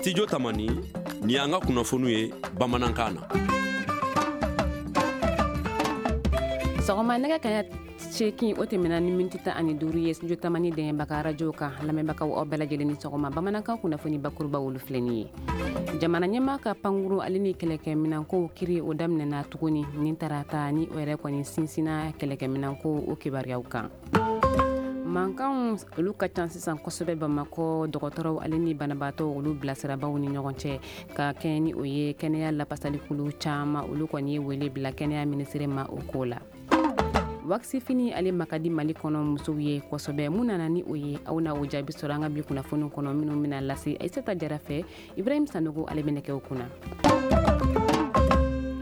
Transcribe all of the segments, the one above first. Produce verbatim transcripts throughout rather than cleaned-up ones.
Studio Tamani, ni y'an ka kunnafoniw ye bamanankan na. Sɔgɔma nɛgɛ kaɲa seegin o tɛmɛna ni miniti tan ani duuru ye Studio Tamani dɛmɛbaga arajo kan. Lamɛnbagaw, aw bɛɛ lajɛlen ni sɔgɔma. Bamanankan kunnafoni bakuruba, olu filɛ nin ye. Jamana ɲɛmaa ka pankuru ale ni kɛlɛkɛminɛnkow kiri, o daminɛna tuguni nin tarata, ni o yɛrɛ kɔni sinsinna kɛlɛkɛminɛnko o kibaruyaw kan. Mankanw, olu ka ca sisan kosɛbɛ Bamakɔ dɔgɔtɔrɔw ale ni banabaatɔw, olu bilasirabaw ni ɲɔgɔn cɛ. Ka kɛɲɛ ni o ye, kɛnɛya lapasalikulu caman, olu kɔni ye wele bila kɛnɛya minisiri ma o ko la. Wakisifini ale makadi Mali kɔnɔ musow ye kosɛbɛ. Mun nana ni o ye? Aw na o jaabi sɔrɔ an ka bi kunnafoni kɔnɔ minnu bɛna lase Aissata Jara fɛ. Ibrahim Sanogo, ale bɛna kɛ o kunna.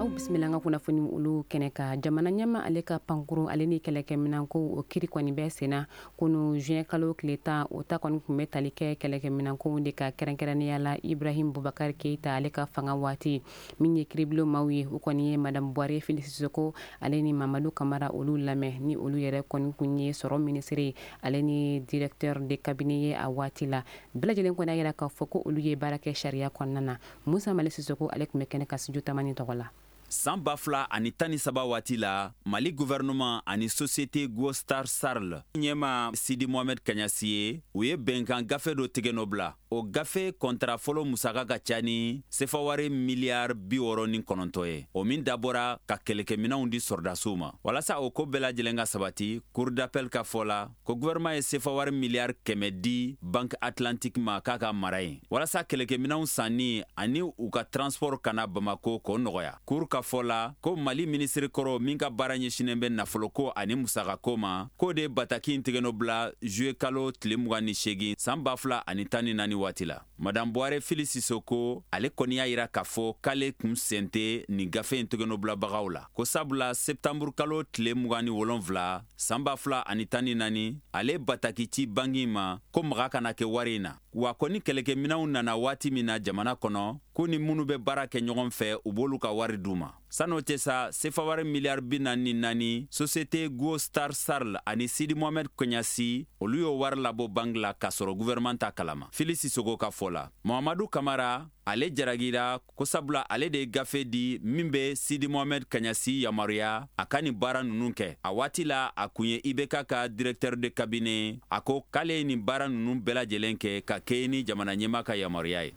Aw bisimila an ka kunnafoni olu kɛnɛ kan. Jamana ɲɛma ale ka pankuru ale ni kɛlɛkɛminɛnko, o kiri kɔni bɛ senna kunu juin kalo tile tan. O ta kɔni tun bɛ tali kɛ kɛlɛkɛminɛnkow de ka, kɛrɛnkɛrɛnnenya la Ibrahim Bubakari Keyita ale ka fanga waati. Min ye kiribulon maaw ye, o kɔni ye Madame Buware Fili Sisoko ale ni Mamadu Kamara, olu lamɛn, ni olu yɛrɛ kɔni kun ye sɔrɔ minisiri ale ni directeur de cabinet ye a waati la. Bɛɛ lajɛlen kɔni y'a yira k'a fɔ ko olu ye baara kɛ sariya kɔnɔna na. Musa Mali Sisoko, ale tun bɛ kɛnɛ kan Studio Tamani tɔgɔ la. San ba fila ani tan ni saba waati la, Mali gouvernement ani société Guostar Sarl ɲɛma Sidi Mohamed Kaɲasi ye, u ye bɛnkan gafe dɔ tigɛ nɔ bila. O gafe kɔntara fɔlɔ musaka ka ca ni sefawari miliyari bi wɔɔrɔ ni kɔnɔntɔ ye, o min dabɔra ka kɛlɛkɛminɛnw di sɔrɔdasiw ma. Walasa o ko bɛɛ lajɛlen ka sabati, cour d'appel ka fɔ la ko gouvernement ye sefawari miliyari kɛmɛ di Banque Atlantique ma k'a ka mara yen, walasa kɛlɛkɛminɛnw sanni ani u ka transport kana Bamako k'o nɔgɔya. Cour ka fɔ la ko Mali minisiri kɔrɔ min ka baara ɲɛsinen bɛ nafoloko ani musakako ma, k'o de bataki in tigɛnɔ bila juillet kalo tile mugan ni seegin san ba fila ani tan ni naani waati la. Madame Buware Fili Sisoko, ale kɔni y'a yira k'a fɔ k'ale kun sen tɛ nin gafe in tɛgɛnɔbilabagaw la, ko sabula septembre kalo tile mugan ni wolonfila san ba fila ani tan ni naani, ale bataki ci banki ma ko maga kana kɛ wari in na, wa ko ni kɛlɛkɛminɛnw nana waati min na jamana kɔnɔ, ko ni minnu bɛ baara kɛ ɲɔgɔn fɛ, u b'olu ka wari d'u ma. San'o tɛ sa, sefawari miliyari bi naani ni naani, société Guostar Sarl ani Sidi Mohamed Kɔɲasi, olu y'o wari labɔ banki la k'a sɔrɔ gouvernement ta kalama. Fili Sisogo ka fɔ la, Mohamadu Kamara, ale jaragira ko sabula ale de ye gafe di min bɛ Sidi Mohamed Kaɲasi yamaruya a ka nin baara ninnu kɛ. A waati la, a kun ye I B K ka directeur de cabinet. A ko k'ale ye nin baara ninnu bɛɛ lajɛlen kɛ ka kɛɲɛ ni jamana ɲɛmaa ka yamaruya ye.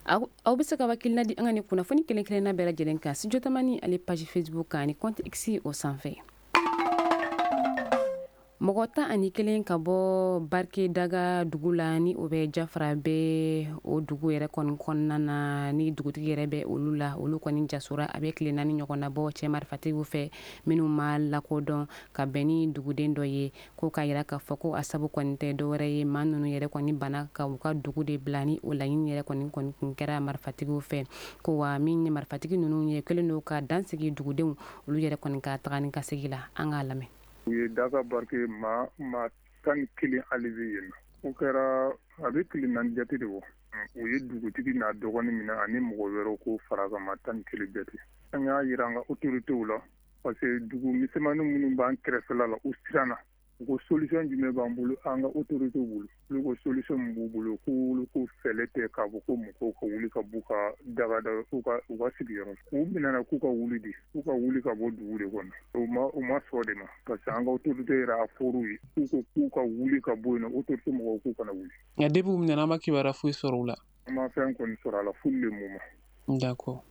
Aw bɛ se ka hakilina di an ka nin kunnafoni kelen kelenna bɛɛ lajɛlen kan Studio Tamani ale page Facebook kan ani compte X o sanfɛ. Mɔgɔ tan ani kelen ka bɔ Barike Daga dugu la, ni o bɛ Jafara bɛ o dugu yɛrɛ kɔni kɔnɔna na, ni dugutigi yɛrɛ bɛ olu la, olu kɔni jasora a bɛ tile naani ɲɔgɔn na bɔ cɛ marifatigiw fɛ minnu ma lakodɔn, ka bɛn ni duguden dɔ ye. Ko k'a yira k'a fɔ ko a sabu kɔni tɛ dɔwɛrɛ ye, maa ninnu yɛrɛ kɔni bana ka u ka dugu de bila, ni o laɲini yɛrɛ kɔni kɔni kun kɛra marifatigiw fɛ. Ko wa min ye marifatigi ninnu ye, kɛlen don ka dansigi dugudenw olu yɛrɛ kɔni ka taga ni ka segin la. An k'a lamɛn. U ye Daga Barike maa maa tan ni kelen enlevé yen. O kɛra a bɛ tile naani jate de bɔ. U ye dugutigi n'a dɔgɔnin minɛ ani mɔgɔ wɛrɛw, ko fara kan, maa tan ni kelen jate. An y'a yira an ka autorités la, parce que dugu misɛnmanin minnu b'an kɛrɛfɛla la, u siranna. U ko solution jumɛn b'an bolo, an ka autorités bolo? Olu ko solution min b'u bolo, k'olu ko fɛɛrɛ tɛ k'a fɔ ko mɔgɔw ka wuli ka b'u ka dagada, u ka u ka sigiyɔrɔ. U minɛna k'u ka wuli de, k'u ka wuli ka bɔ dugu de kɔnɔ. U ma u ma sɔn de ma, parce que an ka autorité yɛrɛ a fɔr'u ye k'u ko k'u ka wuli ka bɔ yen nɔ. Autorité mɔgɔw k'u kana wuli. Nka depuis u minɛna, an ma kibaruya foyi sɔrɔ u la? An ma fɛn kɔni sɔrɔ a la pour le moment. D'accord.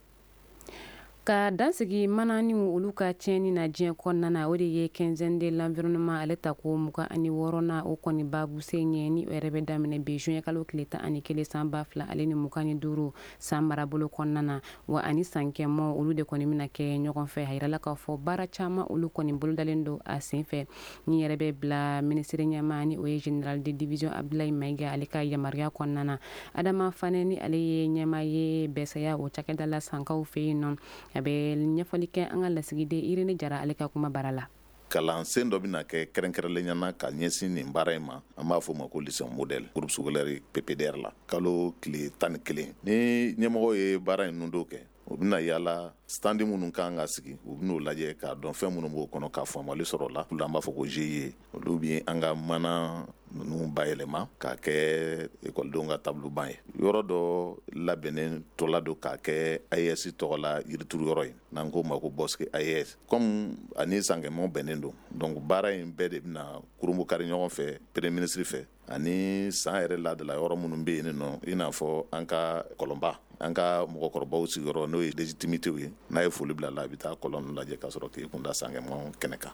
Ka dansigi mananiw olu ka tiɲɛni na diɲɛ kɔnɔna na, o de ye Quinzaine de l'environnement ale ta ko mugan ani wɔɔrɔnan, o kɔni babu sen ye, ni o yɛrɛ bɛ daminɛ bi juin kalo tile tan ani kelen san ba fila ale ni mugan ni duuru san marabolo kɔnɔna na. Wa ani sankɛmɔ, olu de kɔni bɛna kɛ ɲɔgɔn fɛ. A yirala k'a fɔ baara caman, olu kɔni bolodalen don a sen fɛ, ni yɛrɛ bɛ bila minisiri ɲɛmaa, ni o ye général de division Abdoulaye Maïga, ale ka yamaruya kɔnɔna na. Adama Fanɛ, ni ale ye ɲɛmaa ye bɛsaya o cakɛda la sankaw fɛ yen nɔ, a bɛ ɲɛfɔli kɛ an ka lasigiden Irene Jara ale ka kuma bara la. Kalansen dɔ bɛna kɛ kɛrɛnkɛrɛnlenya na ka ɲɛsin nin baara in ma. An b'a fɔ o ma ko lycée modèle, groupe scolaire P P D R la, kalo tile tan ni kelen. Ni ɲɛmɔgɔ ye baara in don kɛ, u bɛna yala stand minnu kan ka sigi, u bɛn'o lajɛ k'a dɔn fɛn minnu b'o kɔnɔ, ka faamuyali sɔrɔ o la. An b'a fɔ ko G I E, olu bɛ an ka mana ninnu bayɛlɛma k'a kɛ ekɔlidenw ka tabuluban ye. Yɔrɔ dɔ labɛnnen tɔla don k'a kɛ A E S tɔgɔ la yirituru yɔrɔ ye, n'an k'o ma ko bosquet A E S. Comme ani Sankɛmɔn bɛnnen don, donc baara in bɛɛ de bɛna kurunbukari ɲɔgɔn fɛ premier ministre fɛ, ani san yɛrɛ ladala yɔrɔ minnu bɛ yen nɔ, i n'a fɔ an ka kɔlɔnba, an ka mɔgɔkɔrɔbaw sigiyɔrɔ n'o ye légitimité ye, n'a ye foli bila la a bɛ taa kɔlɔn lajɛ ka sɔrɔ k'i kunda Sankɛmɔn kɛnɛ kan.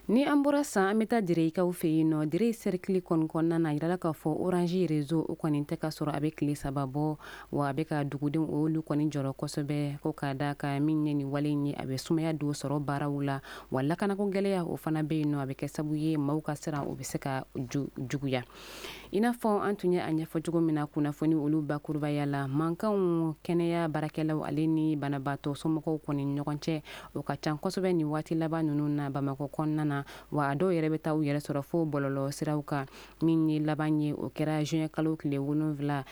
Ni an bɔra san, an bɛ taa Direyikaw fɛ yen nɔ. Direy cercle kɔni kɔnɔna na, yirala k'a fɔ Orange réseau o kɔni tɛ ka sɔrɔ a bɛ tile saba bɔ, wa a bɛ ka dugudenw olu kɔni jɔrɔ kosɛbɛ, ko k'a da ka min ye nin wale in ye, a bɛ sumaya don sɔrɔ baaraw la, wa lakanako gɛlɛya o fana bɛ yen nɔ, a bɛ kɛ sababu ye maaw ka siran o bɛ se ka juguya. I n'a fɔ an tun ye a ɲɛfɔ cogo min na kunnafoni olu bakurubaya la, mankanw kɛnɛya baarakɛlaw ale ni banabaatɔ somɔgɔw kɔni ɲɔgɔn cɛ o ka ca kosɛbɛ nin waati laban ninnu na Bamakɔ kɔnɔna na, wa a dɔw yɛrɛ bɛ taa u yɛrɛ sɔrɔ fo bɔlɔlɔ siraw kan. Min ye laban ye, o kɛra juin kalo tile wolonwula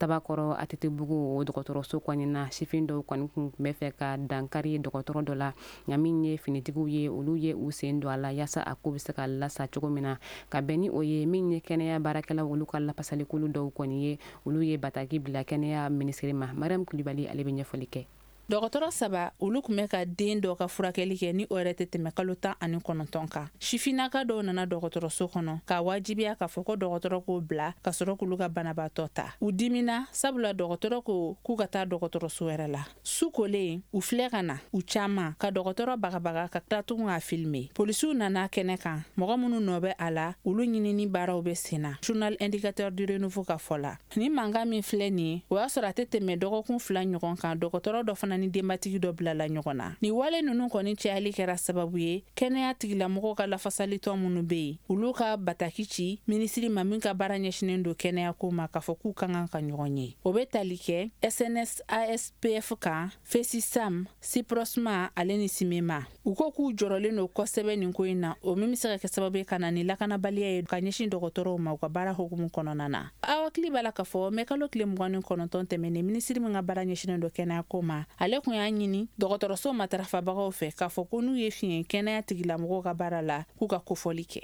Tabakɔrɔ A T T Bugu o dɔgɔtɔrɔso kɔni na. Sifin dɔw kɔni kun bɛ fɛ ka dankari dɔgɔtɔrɔ dɔ la, nka min ye finitigiw ye, olu ye u sen don a la yaasa a ko bɛ se ka lasa cogo min na. Ka bɛn ni o ye, min ye kɛnɛya baarakɛlaw olu ka lafasalikulu dɔw kɔni ye, olu ye bataki bila kɛnɛya minisiri ma. Mariam Kulibali ale bɛ ɲɛfɔli kɛ. Dɔgɔtɔrɔ saba olu tun bɛ ka den dɔ ka furakɛli kɛ ni o yɛrɛ tɛ tɛmɛ kalo tan ani kɔnɔntɔn kan. Sifinnaka dɔw nana dɔgɔtɔrɔso kɔnɔ k'a wajibiya k'a fɔ ko dɔgɔtɔrɔ k'o bila ka sɔrɔ k'olu ka banabaatɔ ta. U dimina sabula dɔgɔtɔrɔ ko k'u ka taa dɔgɔtɔrɔso wɛrɛ la. Su kolen u filɛ ka na u caman ka dɔgɔtɔrɔ bagabaga ka tila tugun k'a filime. Polisiw nana kɛnɛ kan, mɔgɔ minnu nɔ bɛ a la olu ɲinini baaraw bɛ sen na. Journal Indicateur du Renouveau ka fɔ la, ni mankan min filɛ nin ye, o y'a sɔrɔ a tɛ tɛmɛ dɔgɔkun fila ɲɔgɔn kan dɔgɔtɔrɔ dɔ fana ni denbatigi dɔ bilala ɲɔgɔn na. Ni wale ninnu kɔni cayali kɛra sababu ye kɛnɛya tigilamɔgɔw ka lafasalitɔn minnu bɛ yen, olu ka bataki ci minisiri ma min ka baara ɲɛsinnen don kɛnɛya ko ma k'a fɔ k'u ka kan ka ɲɔgɔn ye. O bɛ tali kɛ S N S A S P F kan, FESISAM, SIPROSMA ale ni SIMEMA. U ko k'u jɔrɔlen don kosɛbɛ nin ko in na, o min bɛ se ka kɛ sababu ye ka na ni lakanabaliya ye ka ɲɛsin dɔgɔtɔrɔw ma u ka baara hukumu kɔnɔna na. Aw hakili b'a la k'a fɔ mɛ kalo tile mugan ni kɔnɔntɔn tɛmɛnen, minisiri min ka baara ɲɛsinnen don kɛnɛya ko ma, ale kun y'a ɲini dɔgɔtɔrɔso matarafabagaw fɛ k'a fɔ ko n'u ye fiɲɛ kɛnɛya tigilamɔgɔw ka baara la k'u ka kofɔli kɛ.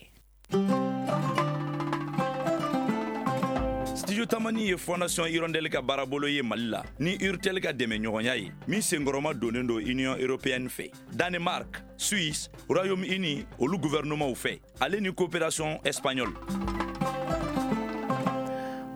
Studio Tamani ye Fondation Hirondelle ka baarabolo ye Mali la ni Urtel ka dɛmɛɲɔgɔnya ye min senkɔrɔma donnen don Union européenne fɛ, Danemark, Suisse, Royaume-Uni olu gouvernementw fɛ, ale ni coopération espagnole.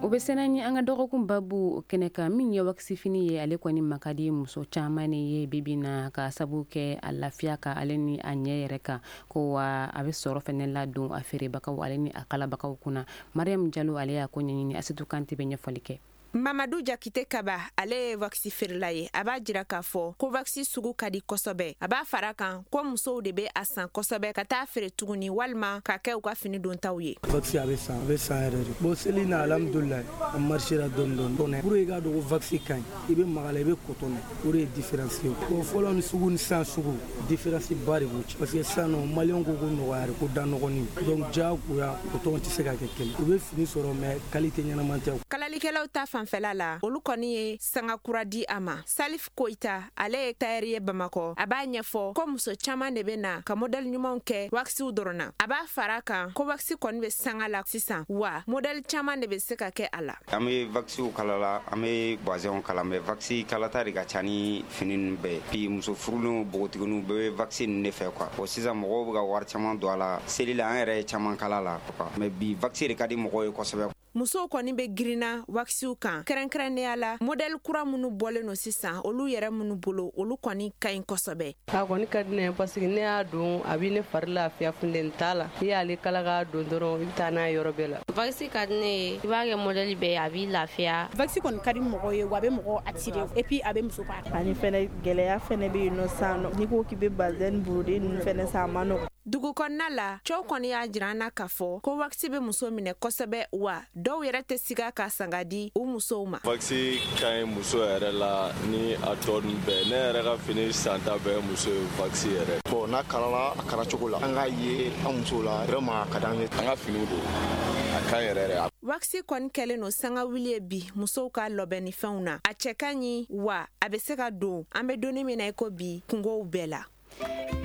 O bɛ sɛnɛ ni an ka dɔgɔkun babu kɛnɛ kan, min ye wakisifini ye, ale kɔni makadi muso caman ye bibi na ka sabu kɛ a lafiya ka ale ni a ɲɛ yɛrɛ kan, ko wa a bɛ sɔrɔ fɛnɛ ladon a feerebagaw ale ni a kalabagaw kunna. Mariam Jalo ale y'a ko ɲɛɲini, Asetu Kante bɛ ɲɛfɔli kɛ. Mamadu Jakite Kaba ale ye waxi feerela ye. A b'a jira k'a fɔ ko waxi sugu ka di kosɛbɛ. A b'a fara kan ko musow de bɛ a san kosɛbɛ ka taa feere tuguni walima ka kɛ u ka fini dontaw ye. Waxi a bɛ san, a bɛ san yɛrɛ de. Bon seli na alhamdulilayi a marchera dɔɔni dɔɔni. Pour i k'a dɔn ko waxi ka ɲi, i bɛ maga la i bɛ coton na, o de ye différence ye. Bon fɔlɔ ni sugu ni sisan sugu différence ba de b'u cɛ. Parce que sisan nɔ maliyɛnw ko ko nɔgɔya ko da nɔgɔnin. Donc diyagoya coton tɛ se ka kɛ kelen. U bɛ fini sɔrɔ mais qualité ɲɛnama tɛ. Kalalikɛlaw ta fanfɛla la, olu kɔni ye sanga kura di a ma. Salif Koita ale ye tayɛri ye Bamakɔ. A b'a ɲɛfɔ ko muso caman de bɛ na ka modɛli ɲumanw kɛ wakisiw dɔrɔn na. A b'a fara kan ko wakisi kɔni bɛ sanga la sisan, wa modɛli caman de bɛ se ka kɛ a la. An bɛ wakisiw kala la, an bɛ bazɛnw kala, mais wakisi kalata de ka ca ni fini ninnu bɛɛ ye. Puis muso furulenw, npogotigininw bɛɛ bɛ wakisi ninnu de fɛ quoi. Bon sisan mɔgɔw bɛ ka wari caman don a la, seli la an yɛrɛ ye caman kala la quoi. Mais bi wakisi de ka di mɔgɔw ye kosɛbɛ. Musow kɔni bɛ girinna wakisiw kan, kɛrɛnkɛrɛnnenya la modɛli kura minnu bɔlen don sisan, olu yɛrɛ minnu bolo, olu kɔni ka ɲi kosɛbɛ. A kɔni ka di ne ye parce que ne y'a don a bɛ ne fari lafiya, funteni t'a la. I y'ale kala k'a don dɔrɔn i bɛ taa n'a ye yɔrɔ bɛɛ la. Waxi ka di ne ye, i b'a kɛ modɛli bɛɛ ye, a b'i lafiya. Waxi kɔni ka di mɔgɔ ye, wa a bɛ mɔgɔ attirer et puis a bɛ muso ka. Ani fɛnɛ gɛlɛya fɛnɛ bɛ yen nɔ sisan nɔ, n'i ko k'i bɛ bazɛn brodé ninnu fɛnɛ san a ma nɔgɔn. Dugu kɔnɔna la, cɛw kɔni y'a jira an na k'a fɔ ko wakisi bɛ muso minɛ kosɛbɛ, wa dɔw yɛrɛ tɛ siga ka sanga di u musow ma. Waxi ka ɲi muso yɛrɛ la ni a tɔ ninnu bɛɛ. Ne yɛrɛ ka fini santa bɛɛ ye muso ye waxi yɛrɛ. Bon n'a kalala a kala cogo la, an k'a ye an musow la vraiment a ka d'an ye. An ka finiw don, a ka ɲi yɛrɛ yɛrɛ. Waxi kɔni kɛlen don sanga wuli ye bi musow ka lɔbɛnnifɛnw na. A cɛ ka ɲi, wa a bɛ se ka don an bɛ donni min na i ko bi kungow bɛɛ la.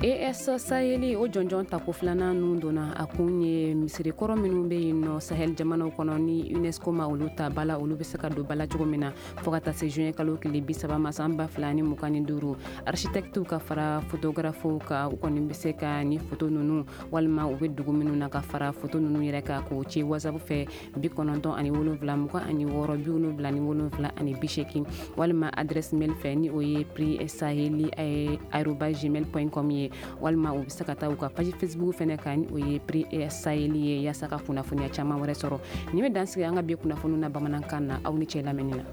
A S Saheli o jɔnjɔn tako filanan nun donna a kun ye misirikɔrɔ minnu bɛ yen nɔ Sahel jamanaw kɔnɔ ni UNESCO ma olu ta bala, olu bɛ se ka don bala cogo min na fo ka taa se juin kalo tile bi saba ma san ba fila ni mugan ni duuru. Architectes ka fara photographes kan, u kɔni bɛ se ka ni photo ninnu walima u bɛ dugu minnu na ka fara photo ninnu yɛrɛ kan k'o ci WhatsApp fɛ bi kɔnɔntɔn ani wolonwula mugan ani wɔɔrɔ bi wolonwula ni wolonwula ani bi seegin walima adresse mail fɛ ni o ye prix saheli arobase gmail point com ye, walima u bɛ se ka taa u ka page Facebook fɛnɛ kan ni o ye Prix Saheli ye yaasa ka kunnafoniya caman wɛrɛ sɔrɔ. Nin bɛ dansigi an ka bi kunnafoniw na bamanankan na. Aw ni cɛ lamɛnni na.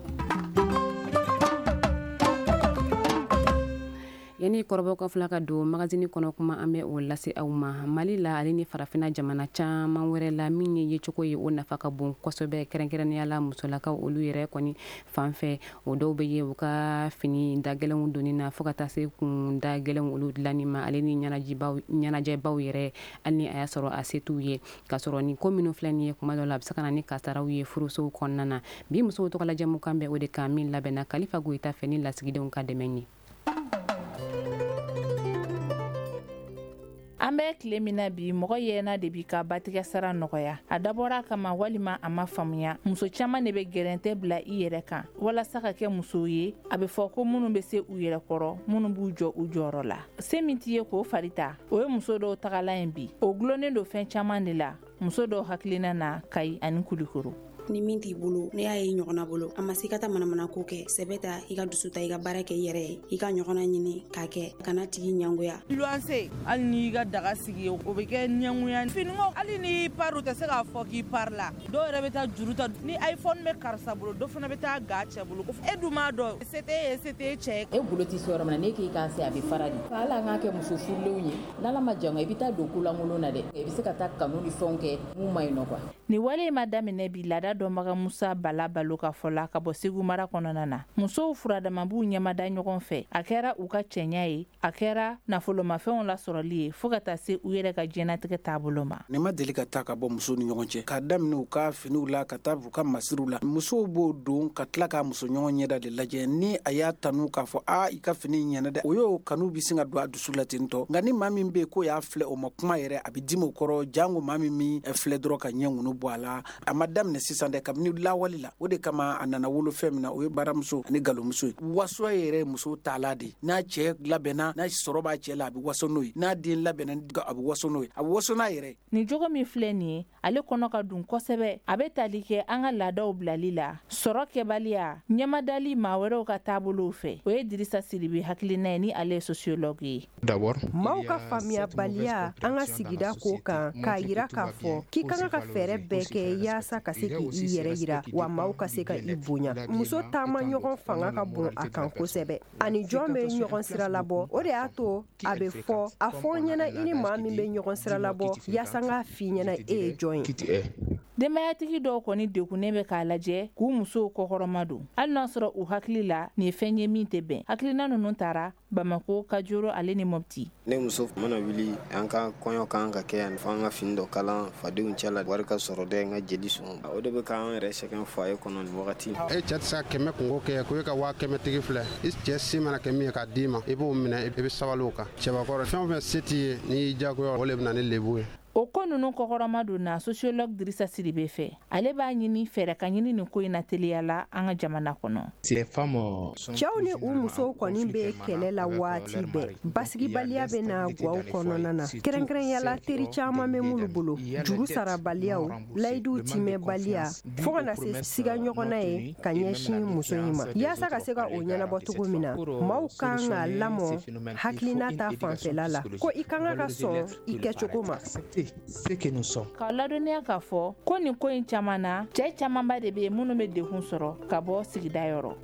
Yanni kɔrɔbɔ ka fila ka don magazine kɔnɔ kuma, an bɛ o lase aw ma. Mali la ale ni farafinna jamana caman wɛrɛ la, min ye yecogo ye o nafa ka bon kosɛbɛ, kɛrɛnkɛrɛnnenya la musolakaw olu yɛrɛ kɔni fan fɛ. O dɔw bɛ ye u ka fini dagɛlɛnw donni na fo ka taa se kun dagɛlɛnw olu dilanni ma, ale ni ɲɛnajɛbaw ɲɛnajɛbaw yɛrɛ, hali ni a y'a sɔrɔ a se t'u ye. K'a sɔrɔ nin ko minnu filɛ nin ye, kuma dɔw la a bɛ se ka na ni kasaraw ye furusow kɔnɔna na. Bi musow tɔgɔla jɛmukan bɛ o de kan, min labɛnna Kalifa Goyita fɛ ni lasigidenw ka dɛmɛ ye. An bɛ tile min na bi, mɔgɔ yɛlɛna de b'i ka batigɛ sara nɔgɔya. A dabɔra a kama walima a ma faamuya, muso caman de bɛ gɛrɛntɛ bila i yɛrɛ kan walasa ka kɛ muso ye. A bɛ fɔ ko minnu bɛ se u yɛrɛ kɔrɔ, minnu b'u jɔ u jɔyɔrɔ la, se min t'i ye k'o fari ta, o ye muso dɔw tagalan ye bi. O gulonnen don fɛn caman de la muso dɔw hakilina na Kayi ani Kulikoro. Ni min t'i bolo, ne y'a ye ɲɔgɔnna bolo, a ma se ka taa manamana ko kɛ. Sɛbɛ ta, i ka dusu ta, i ka baara kɛ i yɛrɛ ye, i ka ɲɔgɔnna ɲini k'a kɛ, kana tigi ɲangoya. Luwanse, hali n'i ka daga sigi, o bɛ kɛ ɲangoya. Finiko, hali n'i pari, u tɛ se k'a fɔ k'i pari la. Dɔw yɛrɛ bɛ taa juru ta, ni iPhone bɛ karisa bolo, dɔ fana bɛ taa ga cɛ bolo. E dun m'a dɔn, se t'e ye, se t'e cɛ ye. E bolo tɛ se yɔrɔ min na, n'e k'i k'a se, a bɛ fara de. Hali an k'a kɛ muso furulenw ye, n'Ala ma jan i bɛ taa don kolankolon na dɛ, i bɛ se ka taa kanu ni fɛnw kɛ mun ma ɲi nɔ quoi. Nin wale in ma daminɛ bi. Laada dɔnbaga Musa Bala Balo ka fɔ la ka bɔ Segu mara kɔnɔna na, musow furadama b'u ɲɛmada ɲɔgɔn fɛ. A kɛra u ka cɛɲa ye, a kɛra nafolomafɛnw lasɔrɔli ye, fo ka taa se u yɛrɛ ka diɲɛnatigɛ taabolo ma. Ne ma deli ka taa ka bɔ musow ni ɲɔgɔn cɛ, k'a daminɛ u ka finiw la ka taa u ka masiriw la. Musow b'o don ka tila k'a muso ɲɔgɔn ɲɛda de lajɛ, ni a y'a tanu k'a fɔ a i ka fini ɲɛna dɛ, o y'o kanu bɛ sin ka don a dusu la ten tɔ. Nka ni maa min bɛ yen k'o y'a filɛ o ma kuma yɛrɛ, a bɛ dimi o kɔrɔ, jango maa min min filɛ dɔrɔn ka ɲɛ ŋunu bɔ a la. A ma daminɛ sisan dɛ, kabini lawale la. O de kama a nana wolo fɛn min na, o ye baramuso ani galomuso ye. Waso yɛrɛ muso taala de, n'a cɛ labɛnna, n'a sɔrɔ b'a cɛ la, a bɛ waso n'o ye, n'a den labɛnna, a bɛ waso n'o ye, a bɛ waso n'a yɛrɛ. Nin jogo min filɛ nin ye, ale kɔnɔ ka dun kosɛbɛ. A bɛ tali kɛ an ka laadaw bilali la, sɔrɔ kɛbaliya, ɲɛmadali maa wɛrɛw ka taabolow fɛ. O ye Dirisa Sidibe hakilina ye, ni ale ye sociologue ye. Maaw ka faamuyabaliya an ka sigida ko kan, k'a yira k'a fɔ k'i kan ka fɛɛrɛ bɛɛ kɛ yaasa ka se k'i yɛrɛ yira, wa maaw ka se ka i bonya. Muso taama ɲɔgɔn fanga ka bon a kan kosɛbɛ, ani jɔn bɛ ɲɔgɔn sira labɔ. O de y'a to a bɛ fɔ a fɔ ɲɛna i ni maa min bɛ ɲɔgɔn sira labɔ, yaasa n k'a f'i ɲɛna e ye jɔn ye. Denbayatigi dɔw kɔni degunnen bɛ k'a lajɛ k'u musow kɔkɔrɔma don, hali n'a sɔrɔ u hakili la nin ye fɛn ye min tɛ bɛn. Hakilina ninnu taara Bamako, Kajoro ale ni Mopti. Ne muso mana wuli, an ka kɔɲɔ kan ka kɛ yan, fo an ka fini dɔ kalan fadenw cɛ la, wari ka sɔrɔ dɛ, n ka jeli sɔn. O de bɛ k'an yɛrɛ sɛgɛn foyer kɔnɔ nin wagati. E cɛ tɛ se ka kɛmɛ kungo kɛ ko e ka waa kɛmɛ tigi filɛ. I cɛ se mana kɛ min ye k'a d'i ma, i b'o minɛ, i bɛ sabali o kan. Cɛbakɔrɔ, fɛn o fɛn se t'i ye, n'i y'i diyagoya, o de bɛ na ni lebu ye. O ko ninnu kɔkɔrɔma don na sociologue Dirisa Sidibe fɛ. Ale b'a ɲini fɛɛrɛ ka ɲini nin ko in na teliya la an ka jamana kɔnɔ. Cɛw ni u musow kɔni bɛ kɛlɛ la waati bɛɛ. Basigibaliya bɛ na gaw kɔnɔna na, kɛrɛnkɛrɛnya la teri caman bɛ minnu bolo, juru sarabaliyaw, layiduw timɛbaliya, fo ka na se siga ɲɔgɔnna ye ka ɲɛsin muso in ma. Yaasa ka se ka o ɲɛnabɔ cogo min na, maaw kan ka lamɔ hakilina ta fanfɛla la, ko i kan ka sɔn i kɛcogo ma. K'a ladɔnniya k'a fɔ ko nin ko in caman na, cɛ camanba de bɛ yen minnu bɛ degun sɔrɔ ka bɔ sigida yɔrɔ.